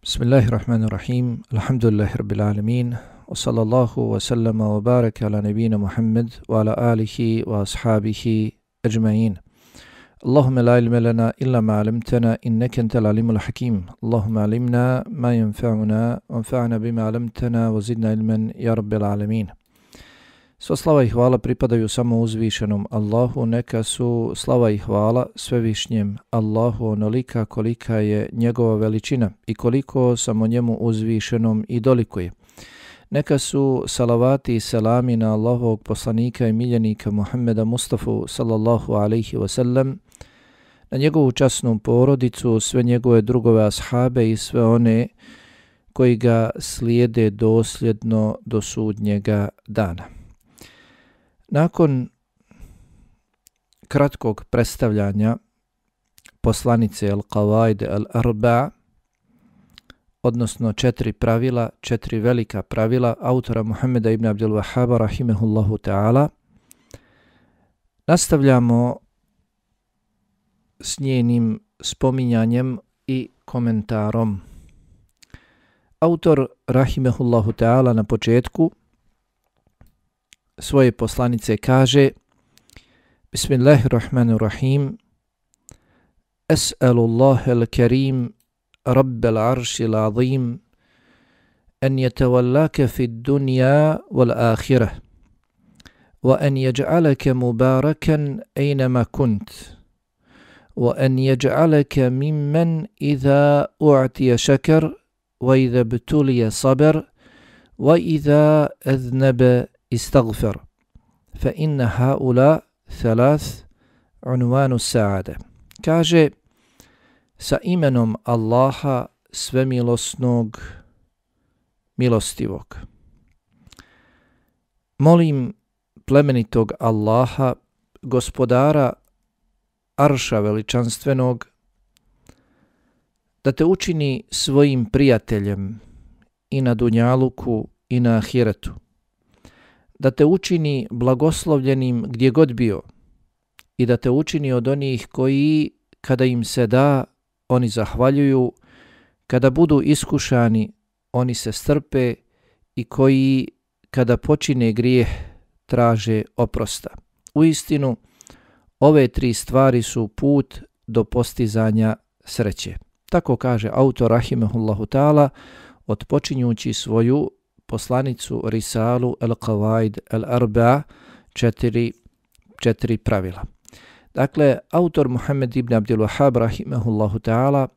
Bismillahirrahmanirrahim. Alhamdulillahi rabbil alamin. Wa sallallahu wa sallama wa baraka ala nabina Muhammad wa ala alihi wa ashabihi ajma'in. Allahumma la ilma lana illa ma 'allamtana innaka antal alimul hakim. Allahumma 'allimna ma yanfa'una wanfa'na bima 'allamtana wa zidna ilman ya rabbil alamin. Sva slava i hvala pripadaju samo uzvišenom Allahu, neka su slava i hvala svevišnjem Allahu onolika kolika je njegova veličina i koliko samo njemu uzvišenom i dolikuje. Neka su salavati i selami na Allahovog poslanika i miljenika Muhammeda Mustafa sallallahu alaihi wasallam, na njegovu časnu porodicu, sve njegove drugove ashabe i sve one koji ga slijede dosljedno do sudnjega dana. Nakon kratkog predstavljanja poslanice Al-Qawaid Al-Arba', odnosno 4 pravila, 4 velika pravila autora Muhammeda ibn Abdul Wahhaba rahimehullahu ta'ala, nastavljamo s njenim spominjanjem i komentarom. Autor rahimehullahu ta'ala na početku svoje poslanice kaže: Bismillahirrahmanirrahim. Es'alullaha al-karim rabbal arshil azim an yatawallaka fid dunya wal akhirah wa an yaj'alaka mubarakan aynama kunt wa an yaj'alaka mimman idha u'tiya shakar wa idha ibtuliya sabar wa idha adhnaba استغفر فإن هؤلاء ثلاث عنوان السعادة. Kaže, sa imenom Allaha svemilosnog, milostivog. Molim plemenitog Allaha, gospodara arša veličanstvenog, da te učini svojim prijateljem i na dunjaluku i na ahiretu, da te učini blagoslovljenim gdje god bio i da te učini od onih koji, kada im se da, oni zahvaljuju, kada budu iskušani, oni se strpe i koji, kada počine grijeh, traže oprosta. Uistinu, ove 3 stvari su put do postizanja sreće. Tako kaže autor rahimehullahu ta'ala, odpočinjući svoju poslanicu Risalu Al-Qawaid Al-Arba' 4 pravila. Dakle, autor Muhammed ibn Abdul Wahhab rahimehullahu ta'ala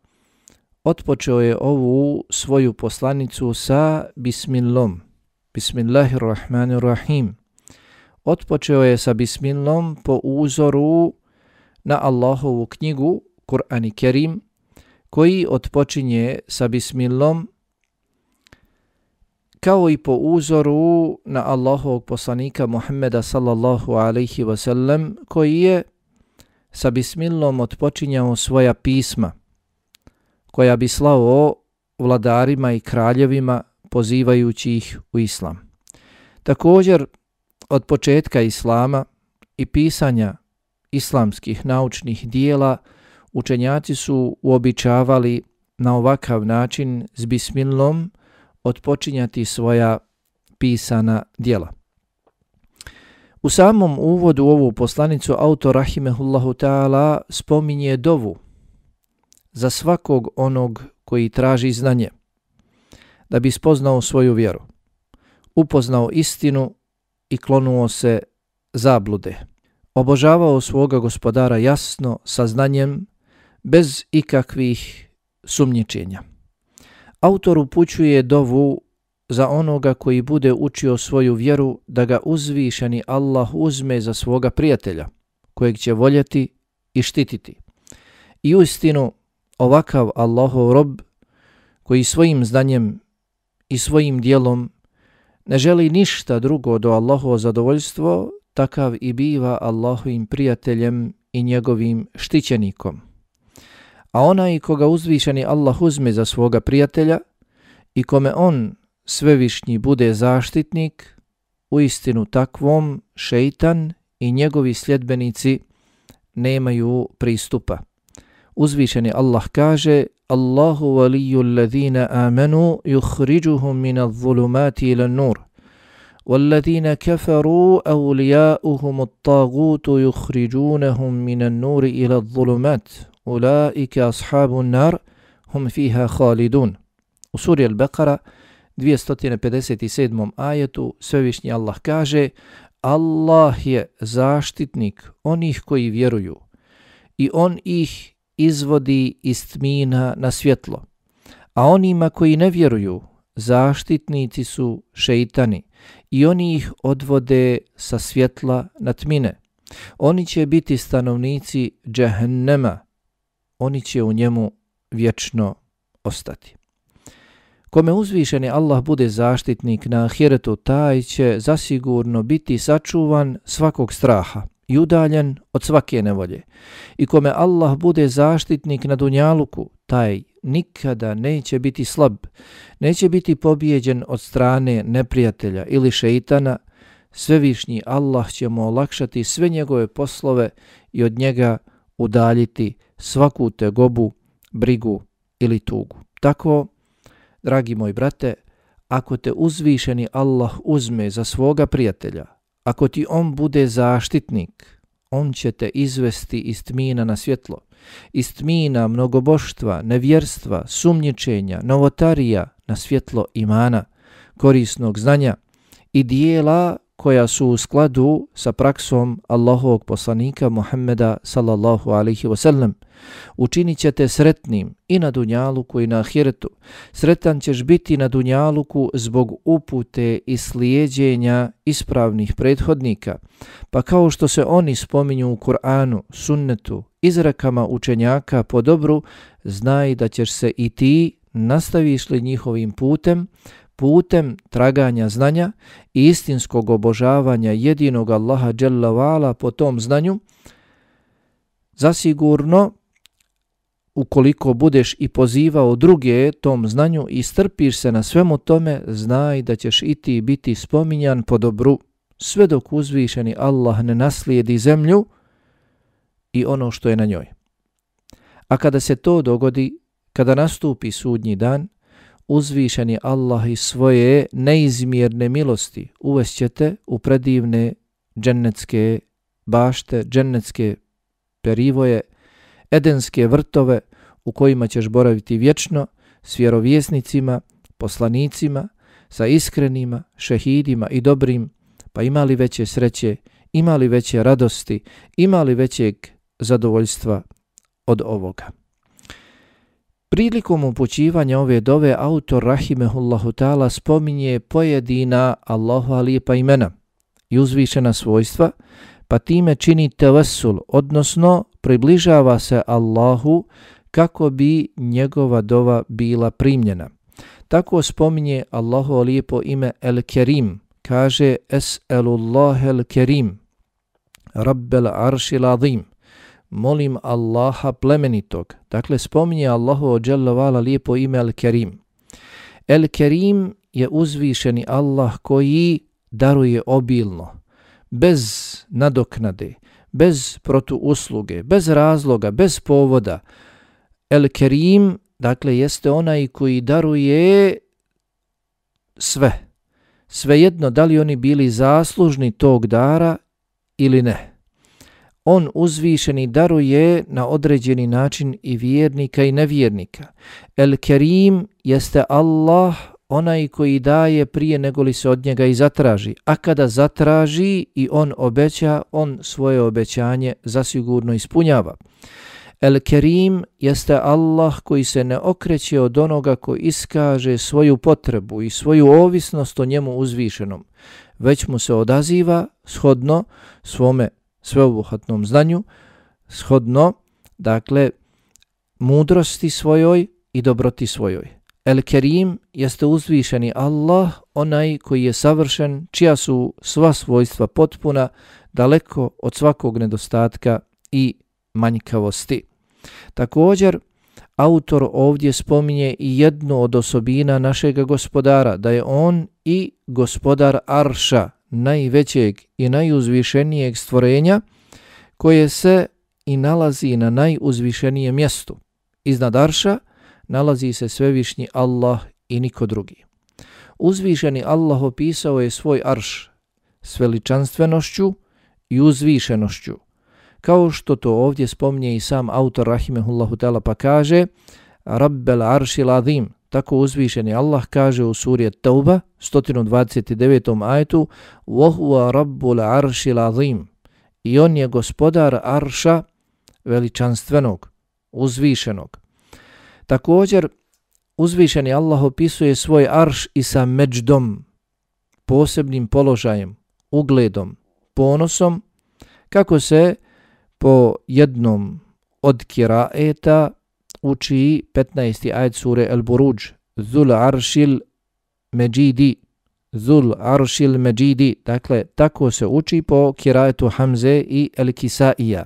otpočeo je ovu svoju poslanicu sa bismillom. Bismillahirrahmanirrahim. Otpočeo je sa bismillom po uzoru na Allahovu knjigu Kur'an i Kerim, koji otpočinje sa bismillom, kao i po uzoru na Allahovog poslanika Muhammeda sallallahu alaihi wasallam, koji je sa bismillom otpočinjao svoja pisma, koja bi slao vladarima i kraljevima pozivajući ih u islam. Također, od početka islama i pisanja islamskih naučnih dijela, učenjaci su uobičavali na ovakav način s bismillom otpočinjati svoja pisana djela. U samom uvodu u ovu poslanicu autor rahimehullahu ta'ala spominje dovu za svakog onog koji traži znanje, da bi spoznao svoju vjeru, upoznao istinu i klonuo se zablude, obožavao svoga gospodara jasno, sa znanjem, bez ikakvih sumnjičenja. Autor upućuje dovu za onoga koji bude učio svoju vjeru, da ga uzvišeni Allah uzme za svoga prijatelja, kojeg će voljeti i štititi. I uistinu, ovakav Allahov rob, koji svojim znanjem i svojim dijelom ne želi ništa drugo do Allahovo zadovoljstvo, takav i biva Allahovim prijateljem i njegovim štićenikom. A onaj koga uzvišeni Allah uzme za svoga prijatelja i kome on svevišnji bude zaštitnik, uistinu takvom šeitan i njegovi sljedbenici nemaju pristupa. Uzvišeni Allah kaže: Allahu waliyyu alladhina amanu yukhrijuhum min adh-dhulumati ila an-nur والذين كفروا أولياؤهم الطاغوت يخرجونهم من النور إلى الظلمات أولئك أصحاب النار هم فيها خالدون. U suri Al-Baqara 257. ajetu Svevišnji Allah kaže: Allah je zaštitnik onih koji vjeruju i on ih izvodi iz tmina na svjetlo, a onima koji ne vjeruju zaštitnici su šeitani i oni ih odvode sa svjetla na tmine. Oni će biti stanovnici džehennema, oni će u njemu vječno ostati. Kome uzvišeni Allah bude zaštitnik na ahiretu, taj će zasigurno biti sačuvan svakog straha i udaljen od svake nevolje. I kome Allah bude zaštitnik na dunjaluku, taj nikada neće biti slab, neće biti pobijeđen od strane neprijatelja ili šeitana. Svevišnji Allah će mu olakšati sve njegove poslove i od njega udaljiti svaku tegobu, brigu ili tugu. Tako, dragi moji brate, ako te uzvišeni Allah uzme za svoga prijatelja, ako ti on bude zaštitnik, on će te izvesti iz tmina na svjetlo, iz tmina mnogoboštva, nevjerstva, sumnjičenja, novotarija na svjetlo imana, korisnog znanja i dijela koja su u skladu sa praksom Allahovog poslanika Muhammeda sallallahu alaihi wasallam. Učinit će te sretnim i na dunjaluku i na ahiretu. Sretan ćeš biti na dunjaluku zbog upute i slijeđenja ispravnih prethodnika, pa kao što se oni spominju u Kur'anu, sunnetu, izrekama učenjaka po dobru, znaj da ćeš se i ti, nastaviš li njihovim putem traganja znanja i istinskog obožavanja jedinog Allaha dželle ve ala po tom znanju, zasigurno, ukoliko budeš i pozivao druge tom znanju i strpiš se na svemu tome, znaj da ćeš i ti biti spominjan po dobru, sve dok uzvišeni Allah ne naslijedi zemlju i ono što je na njoj. A kada se to dogodi, kada nastupi sudnji dan, uzvišeni Allah iz svoje neizmjerne milosti uvešćete u predivne džennetske bašte, džennetske perivoje, edenske vrtove u kojima ćeš boraviti vječno s vjerovjesnicima, poslanicima, sa iskrenima, šehidima i dobrim, pa imali veće sreće, imali veće radosti, imali većeg zadovoljstva od ovoga. Prilikom upućivanja ove dove autor rahimehullahu ta'ala spominje pojedina Allahova lijepa imena i uzvišena svojstva, pa time čini tevassul, odnosno približava se Allahu kako bi njegova dova bila primljena. Tako spominje Allahovo lijepo ime El-Kerim, kaže Es'elullahe El-Kerim, Rabbel aršil azim, molim Allaha plemenitog. Dakle, spominje Allahovo dželle ve ala lijepo ime El-Kerim. El-Kerim je uzvišeni Allah koji daruje obilno, bez nadoknade, bez protuusluge, bez razloga, bez povoda. El-Kerim, dakle, jeste onaj koji daruje sve. Svejedno da li oni bili zaslužni tog dara ili ne. On uzvišeni daruje na određeni način i vjernika i nevjernika. El-Kerim jeste Allah, onaj koji daje prije nego li se od njega i zatraži. A kada zatraži i on obeća, on svoje obećanje zasigurno ispunjava. El-Kerim jeste Allah koji se ne okreće od onoga koji iskaže svoju potrebu i svoju ovisnost o njemu uzvišenom, već mu se odaziva shodno svome sveobuhvatnom znanju, shodno, dakle, mudrosti svojoj i dobroti svojoj. El-Kerim jeste uzvišeni Allah, onaj koji je savršen, čija su sva svojstva potpuna, daleko od svakog nedostatka i manjkavosti. Također, autor ovdje spominje i jednu od osobina našega gospodara, da je on i gospodar Arša, najvećeg i najuzvišenijeg stvorenja, koje se i nalazi na najuzvišenijem mjestu. Iznad Arša nalazi se svevišnji Allah i niko drugi. Uzvišeni Allah opisao je svoj arš s veličanstvenošću i uzvišenošću, kao što to ovdje spominje i sam autor rahimehullahu ta'ala pa kaže Rabbel aršil azim. Tako uzvišeni Allah kaže u suri Tauba 129. ajetu وَهُوَ رَبُّ الْعَرْشِ الْعَظِيمِ i on je gospodar arša veličanstvenog, uzvišenog. Također uzvišeni Allah opisuje svoj arš i sa međdom, posebnim položajem, ugledom, ponosom, kako se po jednom od kiraeta uči 15. ajet sure El-Buruđ Zul aršil međidi, Zul aršil međidi, dakle tako se uči po kiraetu Hamze i El-Kisaija.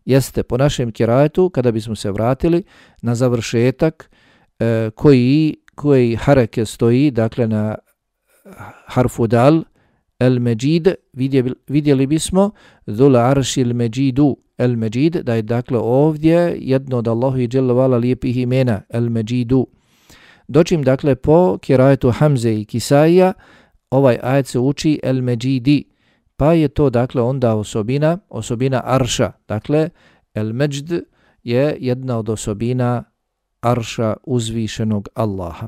Jeste po našem kiraetu, kada bismo se vratili na završetak koji hareke stoji, dakle na harfu dal, El-Međid, vidjeli bismo Zul aršil međidu, El-Međid, da je dakle ovdje jedno od Allahu i dželle vala lijepih imena, El-Međidu. Dočim dakle po kirajetu Hamze i Kisaija, ovaj ajet se uči El-Međidi, pa je to dakle onda osobina arša. Dakle, El-Međd je jedna od osobina arša uzvišenog Allaha.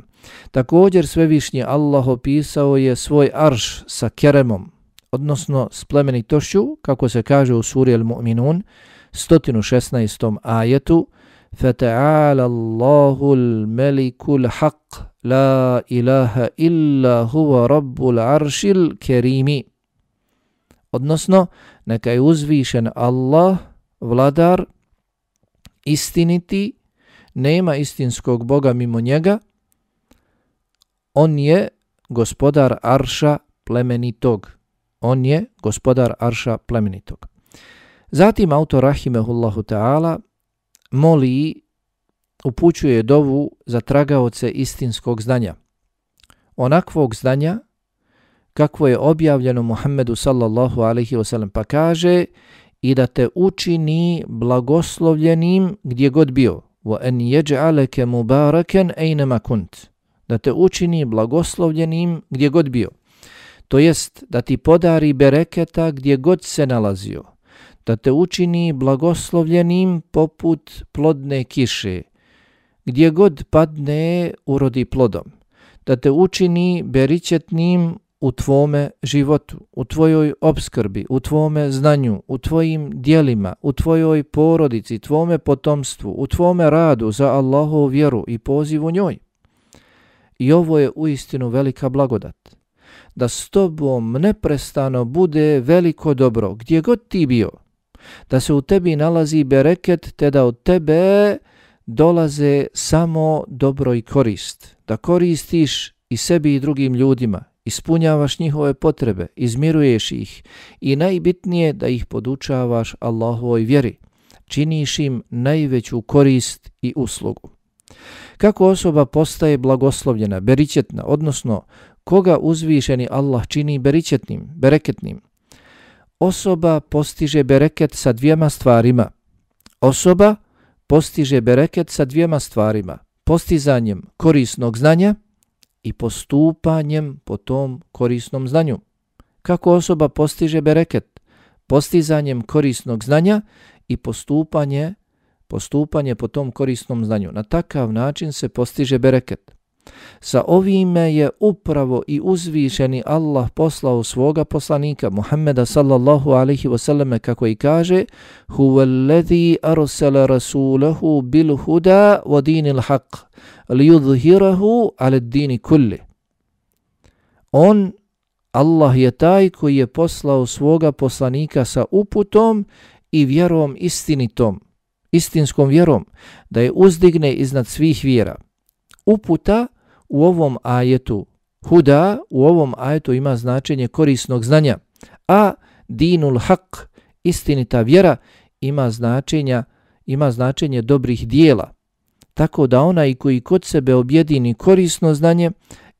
Također svevišnji Allah opisao je svoj arš sa keremom, odnosno s plemenitošću, kako se kaže u suri Al-Mu'minun 116. ajetu فَتَعَالَ اللَّهُ الْمَلِكُ الْحَقِّ لَا إِلَهَ إِلَّا هُوَ رَبُّ الْعَرْشِ الْكَرِيمِ. Odnosno, neka je uzvišen Allah, vladar, istiniti, nema istinskog Boga mimo njega, on je gospodar arša plemenitog. On je gospodar arša plemenitog. Zatim autor rahimehullahu ta'ala moli, upućuje dovu za tragaoce istinskog znanja. Onakvog znanja kakvo je objavljeno Muhammedu sallallahu alaihi wasallam, pa kaže i da te učini blagoslovljenim gdje god bio. وَأَنْ يَجْعَلَكَ مُبَارَكًا أَيْنَمَا كُنْتَ, da te učini blagoslovljenim gdje god bio. To jest da ti podari bereketa gdje god se nalazio, da te učini blagoslovljenim poput plodne kiše, gdje god padne urodi plodom, da te učini beričetnim u tvome životu, u tvojoj opskrbi, u tvome znanju, u tvojim dijelima, u tvojoj porodici, tvome potomstvu, u tvome radu za Allahovu vjeru i pozivu njoj. I ovo je uistinu velika blagodat, da s tobom neprestano bude veliko dobro gdje god ti bio, da se u tebi nalazi bereket, te da od tebe dolaze samo dobro i korist, da koristiš i sebi i drugim ljudima, ispunjavaš njihove potrebe, izmiruješ ih i najbitnije da ih podučavaš Allahovoj vjeri, činiš im najveću korist i uslugu. Kako osoba postaje blagoslovljena, beričetna, odnosno koga uzvišeni Allah čini beričetnim, bereketnim? Osoba postiže bereket sa dvijema stvarima. Osoba postiže bereket sa dvijema stvarima. Postizanjem korisnog znanja i postupanjem po tom korisnom znanju. Kako osoba postiže bereket? Postizanjem korisnog znanja i postupanje po tom korisnom znanju. Na takav način se postiže bereket. Sa ovime je upravo i uzvišeni Allah poslao svoga poslanika Muhammeda sallallahu alaihi wasallam, kako i kaže Huwallazi arsala rasulahu bil huda wa dinil haq liyudhhirahu ala ad-dini kulli. On, Allah je taj koji je poslao svoga poslanika sa uputom i vjerom istinitom, istinskom vjerom, da je uzdigne iznad svih vjera. Uputa u ovom ajetu, huda u ovom ajetu ima značenje korisnog znanja, a dinul haq, istinita vjera, ima značenje dobrih dijela. Tako da onaj koji kod sebe objedini korisno znanje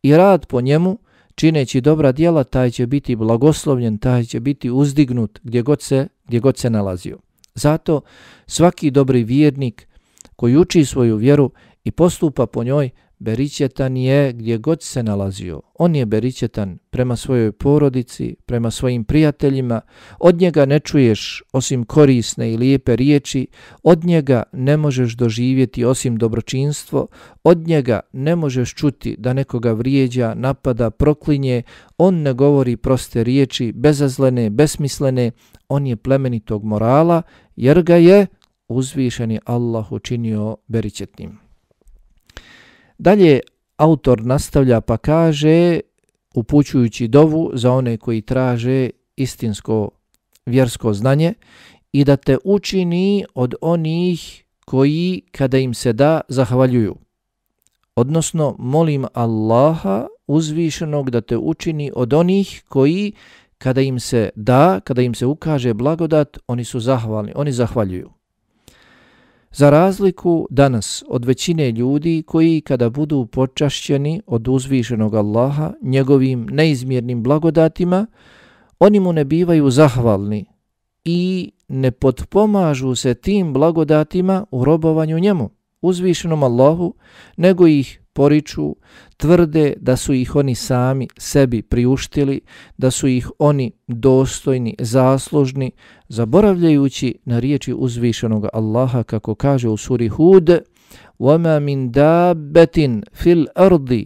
i rad po njemu, čineći dobra djela, taj će biti blagoslovljen, taj će biti uzdignut gdje god se nalazio. Zato svaki dobri vjernik koji uči svoju vjeru i postupa po njoj, beričetan je gdje god se nalazio. On je beričetan prema svojoj porodici, prema svojim prijateljima. Od njega ne čuješ osim korisne i lijepe riječi, od njega ne možeš doživjeti osim dobročinstvo, od njega ne možeš čuti da nekoga vrijeđa, napada, proklinje. On ne govori proste riječi, bezazlene, besmislene. On je plemenitog morala jer ga je uzvišeni Allah učinio beričetnim. Dalje autor nastavlja pa kaže, upućujući dovu za one koji traže istinsko vjersko znanje, i da te učini od onih koji kada im se da zahvaljuju. Odnosno molim Allaha uzvišenog da te učini od onih koji kada im se da, kada im se ukaže blagodat, oni su zahvalni, oni zahvaljuju. Za razliku danas od većine ljudi koji kada budu počašćeni od uzvišenog Allaha njegovim neizmjernim blagodatima, oni mu ne bivaju zahvalni i ne potpomažu se tim blagodatima u robovanju njemu, uzvišenom Allahu, nego ih poriču, tvrde da su ih oni sami sebi priuštili, da su ih oni dostojni, zaslužni, zaboravljajući na riječi uzvišenog Allaha kako kaže u suri Hud: وَمَا مِنْ دَابَّةٍ فِي الْأَرْضِ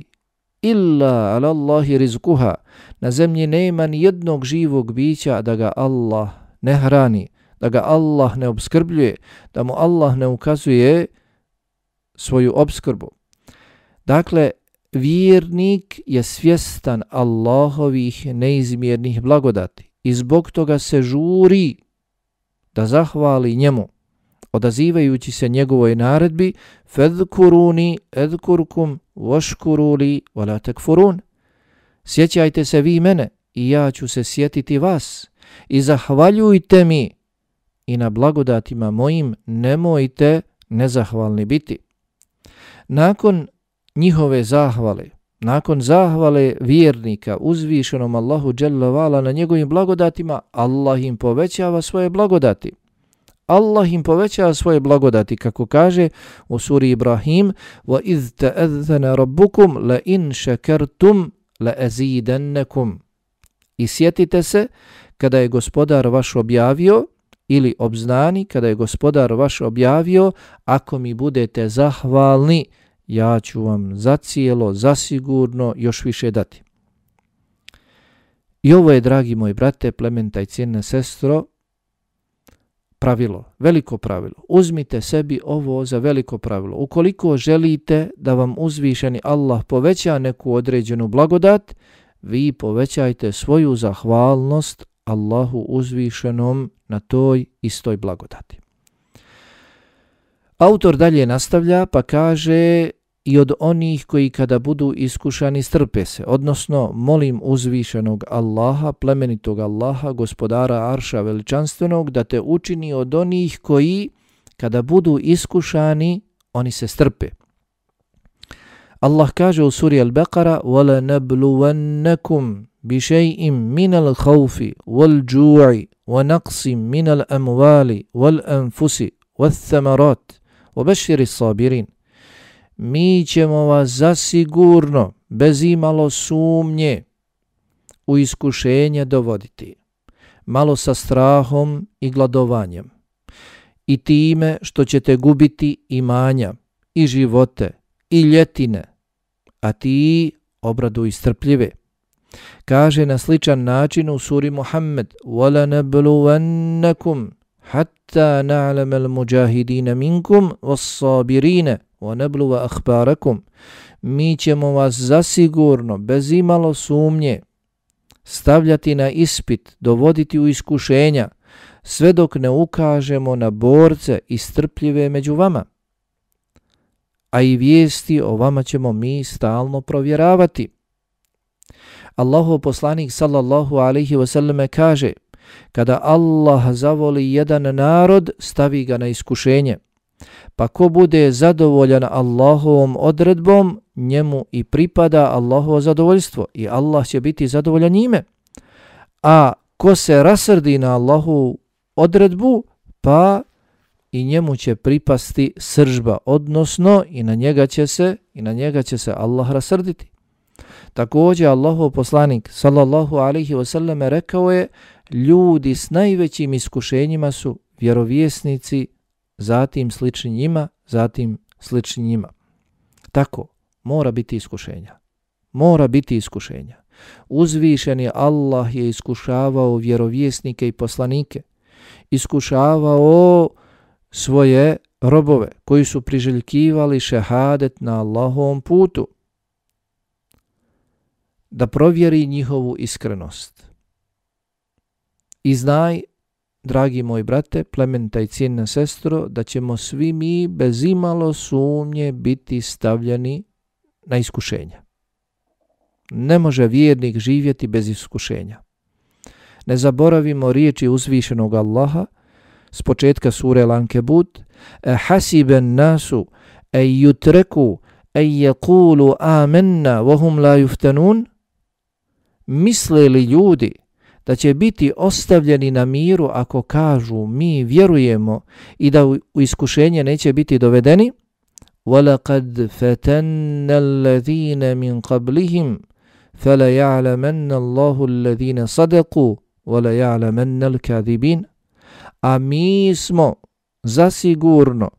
إِلَّا عَلَى اللَّهِ رِزْقُهَا. Na zemlji nema ni jednog živog bića da ga Allah ne hrani, da ga Allah ne obskrbljuje, da mu Allah ne ukazuje svoju obskrbu. Dakle, vjernik je svjestan Allahovih neizmjernih blagodati i zbog toga se žuri da zahvali njemu, odazivajući se njegovoj naredbi فَذْكُرُونِ اذْكُرْكُمْ وَشْكُرُوا لِي وَلَا تَكْفُرُونَ. Sjećajte se vi mene i ja ću se sjetiti vas i zahvaljujte mi i na blagodatima mojim nemojte nezahvalni biti. Nakon njihove zahvale, nakon zahvale vjernika uzvišenom Allahu dželle vala na njegovim blagodatima, Allah im povećava svoje blagodati. Allah im povećava svoje blagodati, kako kaže u suri Ibrahim: وَإِذْ تَأَذَّنَ رَبُّكُمْ لَإِنْ شَكَرْتُمْ لَأَزِيدَنَّكُمْ. I sjetite se kada je gospodar vaš objavio, ili obznani kada je gospodar vaš objavio: ako mi budete zahvalni, ja ću vam zacijelo, zasigurno još više dati. I ovo je, dragi moji brate, plemenita i cijenna sestro, pravilo, veliko pravilo. Uzmite sebi ovo za veliko pravilo. Ukoliko želite da vam uzvišeni Allah poveća neku određenu blagodat, vi povećajte svoju zahvalnost Allahu uzvišenom na toj istoj blagodati. Autor dalje nastavlja pa kaže: i od onih koji kada budu iskušani strpe se, odnosno molim uzvišenog Allaha, plemenitog Allaha, gospodara Arša veličanstvenog, da te učini od onih koji kada budu iskušani oni se strpe. Allah kaže u suri Al-Baqara: وَلَنَبْلُوَنَّكُمْ بِشَيْءٍ مِنَ الْخَوْفِ وَالْجُوعِ وَنَقْصٍ مِنَ الْأَمْوَالِ وَالْأَنْفُسِ وَالثَّمَرَاتِ وَبَشِّرِ الصَّابِرِينَ. Mi ćemo vas zasigurno, bez imalo sumnje, u iskušenje dovoditi, malo sa strahom i gladovanjem, i time što ćete gubiti imanja, i živote, i ljetine, a ti obraduj strpljive. Kaže na sličan način u suri Muhammed: وَلَنَبْلُوَنَّكُمْ حَتَّى نَعْلَمَ الْمُجَاهِدِينَ مِنْكُمْ وَالصَّابِرِينَ وَنَبْلُوَ أَخْبَارَكُمْ. Mi ćemo vas zasigurno, bez imalo sumnje, stavljati na ispit, dovoditi u iskušenja, sve dok ne ukažemo na borce i strpljive među vama. A i vijesti o vama ćemo mi stalno provjeravati. Allahov poslanik sallallahu alejhi ve selleme kaže: kada Allah zavoli jedan narod, stavi ga na iskušenje, pa ko bude zadovoljan Allahovom odredbom, njemu i pripada Allahovo zadovoljstvo i Allah će biti zadovoljan njime. A ko se rasrdi na Allahovu odredbu, pa i njemu će pripasti sržba, odnosno i na njega će se Allah rasrditi. Također Allahov poslanik sallallahu alejhi ve selleme rekao je: ljudi s najvećim iskušenjima su vjerovjesnici, zatim slični njima. Tako, mora biti iskušenja. Uzvišeni Allah je iskušavao vjerovjesnike i poslanike, iskušavao svoje robove koji su priželjkivali šehadet na Allahovom putu, da provjeri njihovu iskrenost. I znaj, dragi moj brate, plemenita i cijenna sestro, da ćemo svi mi bez imalo sumnje biti stavljeni na iskušenja. Ne može vjernik živjeti bez iskušenja. Ne zaboravimo riječi uzvišenog Allaha s početka sure Al-Ankebut: hasiben nasu yutreku yaqulu amanna wa hum la yuftanun. Misle li ljudi da će biti ostavljeni na miru ako kažu mi vjerujemo i da u iskušenje neće biti dovedeni? وَلَقَدْ فَتَنَّ الَّذِينَ مِنْ قَبْلِهِمْ فَلَيَعْلَمَنَّ اللَّهُ الَّذِينَ صَدَقُوا وَلَيَعْلَمَنَّ الْكَاذِبِينَ. A mi smo zasigurno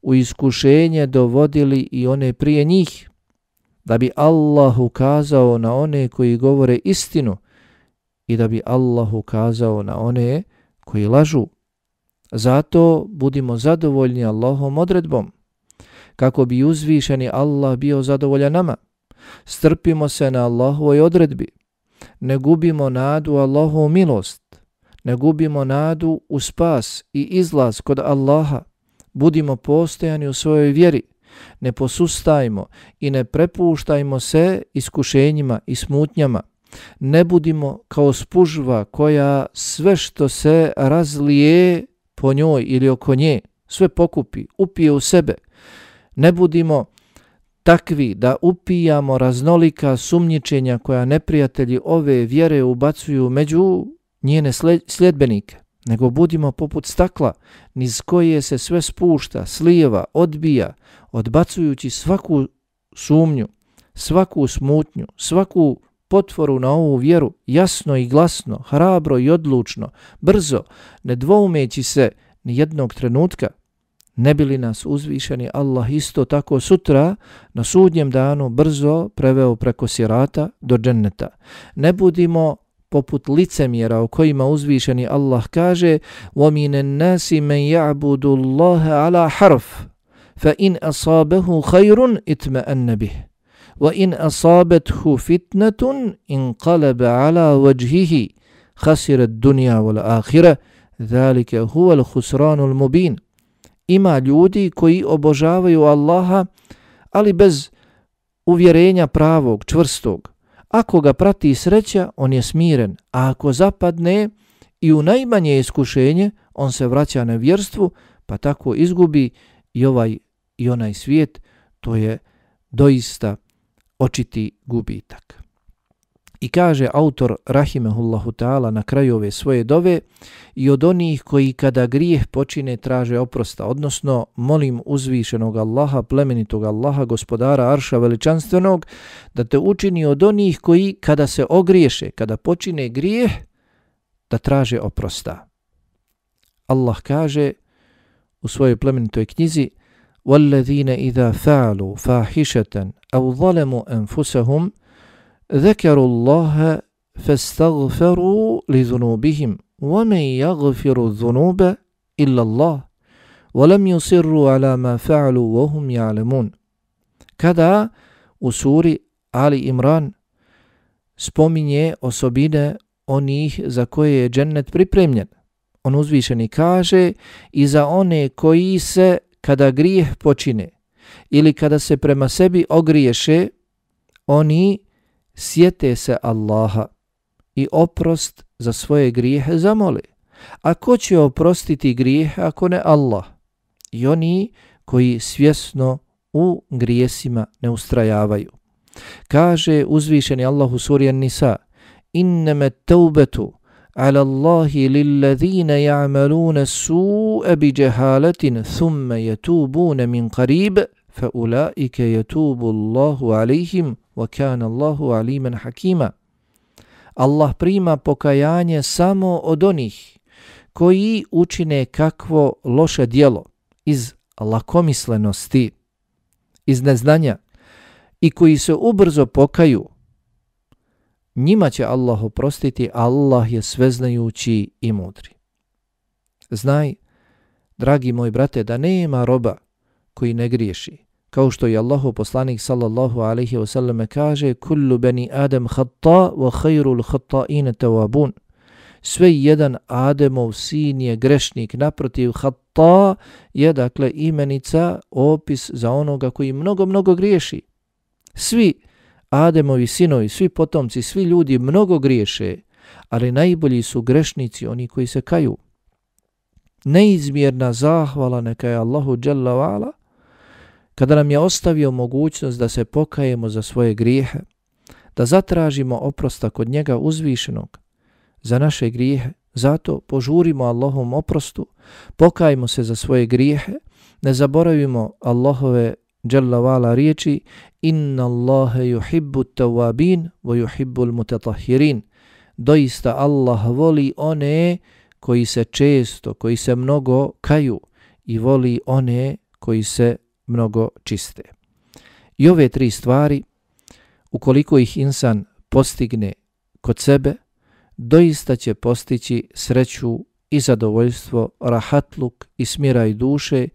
u iskušenje dovodili i one prije njih, da bi Allah ukazao na one koji govore istinu i da bi Allah ukazao na one koji lažu. Zato budimo zadovoljni Allahom odredbom, kako bi uzvišeni Allah bio zadovoljan nama. Strpimo se na Allahovoj odredbi. Ne gubimo nadu u Allahovu milost. Ne gubimo nadu u spas i izlaz kod Allaha. Budimo postojani u svojoj vjeri. Ne posustajmo i ne prepuštajmo se iskušenjima i smutnjama. Ne budimo kao spužva koja sve što se razlije po njoj ili oko nje, sve pokupi, upije u sebe. Ne budimo takvi da upijamo raznolika sumnjičenja koja neprijatelji ove vjere ubacuju među njene sljedbenike, nego budimo poput stakla niz koje se sve spušta, slijeva, odbija, odbacujući svaku sumnju, svaku smutnju, svaku potvoru na ovu vjeru, jasno i glasno, hrabro i odlučno, brzo, ne dvoumeći se ni jednog trenutka. Ne bi li nas uzvišeni Allah isto tako sutra na sudnjem danu brzo preveo preko sirata do dženneta. Ne budimo poput licemjera o kojima uzvišeni Allah kaže: وَمِنَ النَّاسِ مَنْ يَعْبُدُ اللَّهَ عَلَى حَرْفٍ فَإِنْ أَصَابَهُ خَيْرٌ اطْمَأَنَّ بِهِ وَإِنْ أَصَابَتْهُ فِتْنَةٌ انقلب على وجهه خسر الدنيا والآخرة ذلك هو الخسران المبين. Ima ljudi koji obožavaju Allaha, ali bez uvjerenja pravog, čvrstog. Ako ga prati sreća, on je smiren, a ako zapadne i u najmanje iskušenje, on se vraća na vjerstvu, pa tako izgubi i ovaj i onaj svijet. To je doista očiti gubitak. I kaže autor rahimehullahu ta'ala na kraju ove svoje dove: i od onih koji kada grijeh počine traže oprosta, odnosno molim uzvišenog Allaha, plemenitog Allaha, gospodara arša veličanstvenog, da te učini od onih koji kada se ogriješe, kada počine grijeh, da traže oprosta. Allah kaže u svojoj plemenitoj knjizi: وَالَّذِينَ إِذَا فَعَلُوا فَاحِشَةً أَوْ ظَلَمُوا أَنفُسَهُمْ ذكروا الله فاستغفروا لذنوبهم ومن يغفر الذنوب إلا الله ولم يصروا على ما فعلوا وهم يعلمون. Kada u suri Ali Imran spominje osobine onih za koje je džennet pripremljen, on uzvišeni kaže: i za one koji se kada grijeh počine ili kada se prema sebi ogriješe, oni sjete se Allaha i oprost za svoje grijehe zamole. A ko će oprostiti grijehe ako ne Allah? I oni koji svjesno u grijesima ne ustrajavaju. Kaže uzvišeni Allah u suri An-Nisa: innama at-tawbatu ala Allahi lilladhina ya'maluna su'a bi jahalatin thumma yatubuna min qarib fa ulaika yatubu Allahu alayhim wa kana Allahu aliman hakima. Allah prima pokajanje samo od onih koji učine kakvo loše djelo iz lakomislenosti, iz neznanja i koji se ubrzo pokaju. Njima će Allah oprostiti, Allah je sveznajući i mudri. Znaj, dragi moj brate, da nema roba koji ne griješi. Kao što je Allahov poslanik sallallahu alejhi ve sellem kaže: "Kullu bani Adam khata wa khairul khata'in tawabun." Sve jedan Ademov sin je grešnik, naprotiv khata je dakle imenica, opis za onoga koji mnogo griješi. Svi Ademovi sinovi, svi potomci, svi ljudi mnogo griješe, ali najbolji su grešnici oni koji se kaju. Neizmjerna zahvala neka je Allahu dželle ve ala kada nam je ostavio mogućnost da se pokajemo za svoje grijehe, da zatražimo oprosta kod njega uzvišenog za naše grijehe. Zato požurimo Allahovom oprostu, pokajmo se za svoje grijehe, ne zaboravimo Allahove dželle ve ala riječi: "Inna Allaha yuhibbu at-tawwabin wa yuhibbu al-mutatahhirin." Doista Allah voli one koji se često, koji se mnogo kaju i voli one koji se mnogo čiste. I ove tri stvari, ukoliko ih insan postigne kod sebe, doista će postići sreću i zadovoljstvo, rahatluk i smiraj duše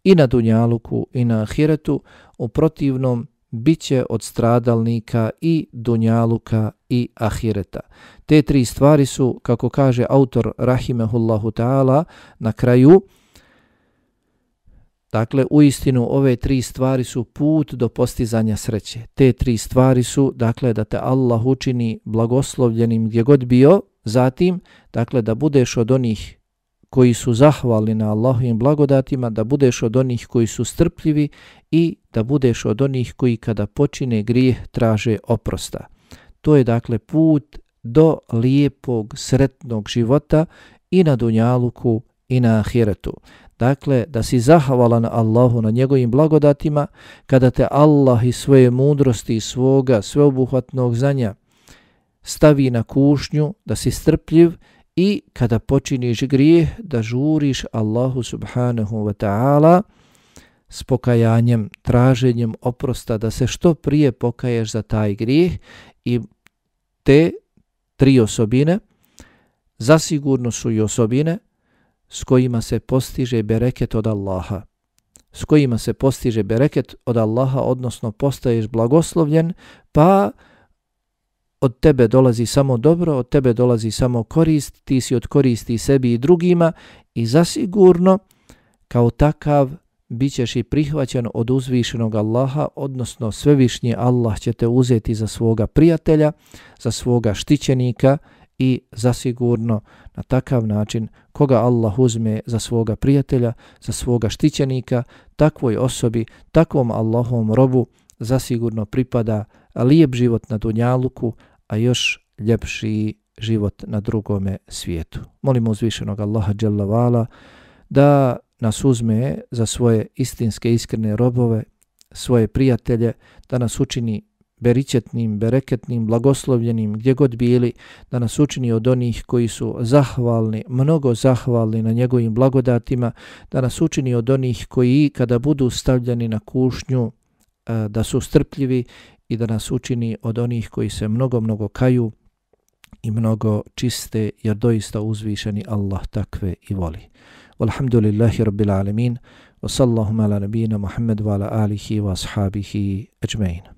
i na dunjaluku i na ahiretu. U protivnom bit će od stradalnika i dunjaluka i ahireta. Te tri stvari su, kako kaže autor rahimehullahu ta'ala na kraju, dakle, uistinu ove tri stvari su put do postizanja sreće. Te tri stvari su, dakle, da te Allah učini blagoslovljenim gdje god bio, zatim, dakle, da budeš od onih koji su zahvalni na Allahovim blagodatima, da budeš od onih koji su strpljivi i da budeš od onih koji kada počine grijeh traže oprosta. To je, dakle, put do lijepog, sretnog života i na dunjaluku i na ahiretu. Dakle, da si zahvalan Allahu na njegovim blagodatima, kada te Allah iz svoje mudrosti i svoga sveobuhvatnog znanja stavi na kušnju, da si strpljiv i kada počiniš grijeh, da žuriš Allahu subhanahu wa ta'ala s pokajanjem, traženjem oprosta, da se što prije pokaješ za taj grijeh. I te tri osobine zasigurno su i osobine s kojima se postiže bereket od Allaha. S kojima se postiže bereket od Allaha, odnosno postaješ blagoslovljen, pa od tebe dolazi samo dobro, od tebe dolazi samo korist, ti si od koristi sebi i drugima i zasigurno kao takav bit ćeš i prihvaćen od uzvišenog Allaha, odnosno svevišnji Allah će te uzeti za svoga prijatelja, za svoga štićenika i zasigurno na takav način koga Allah uzme za svoga prijatelja, za svoga štićenika, takvoj osobi, takvom Allahovom robu zasigurno pripada lijep život na dunjaluku, a još ljepši život na drugome svijetu. Molimo uzvišenog Allaha dželle ve ala da nas uzme za svoje istinske, iskrene robove, svoje prijatelje, da nas učini beričetnim, bereketnim, blagoslovljenim gdje god bili, da nas učini od onih koji su zahvalni, mnogo zahvalni na njegovim blagodatima, da nas učini od onih koji kada budu stavljeni na kušnju da su strpljivi i da nas učini od onih koji se mnogo kaju i mnogo čiste, jer doista uzvišeni Allah takve i voli. Walhamdulillahi rabbil alamin, wa sallahu ala nabina Muhammad wa ala alihi wa ashabihi ajmain.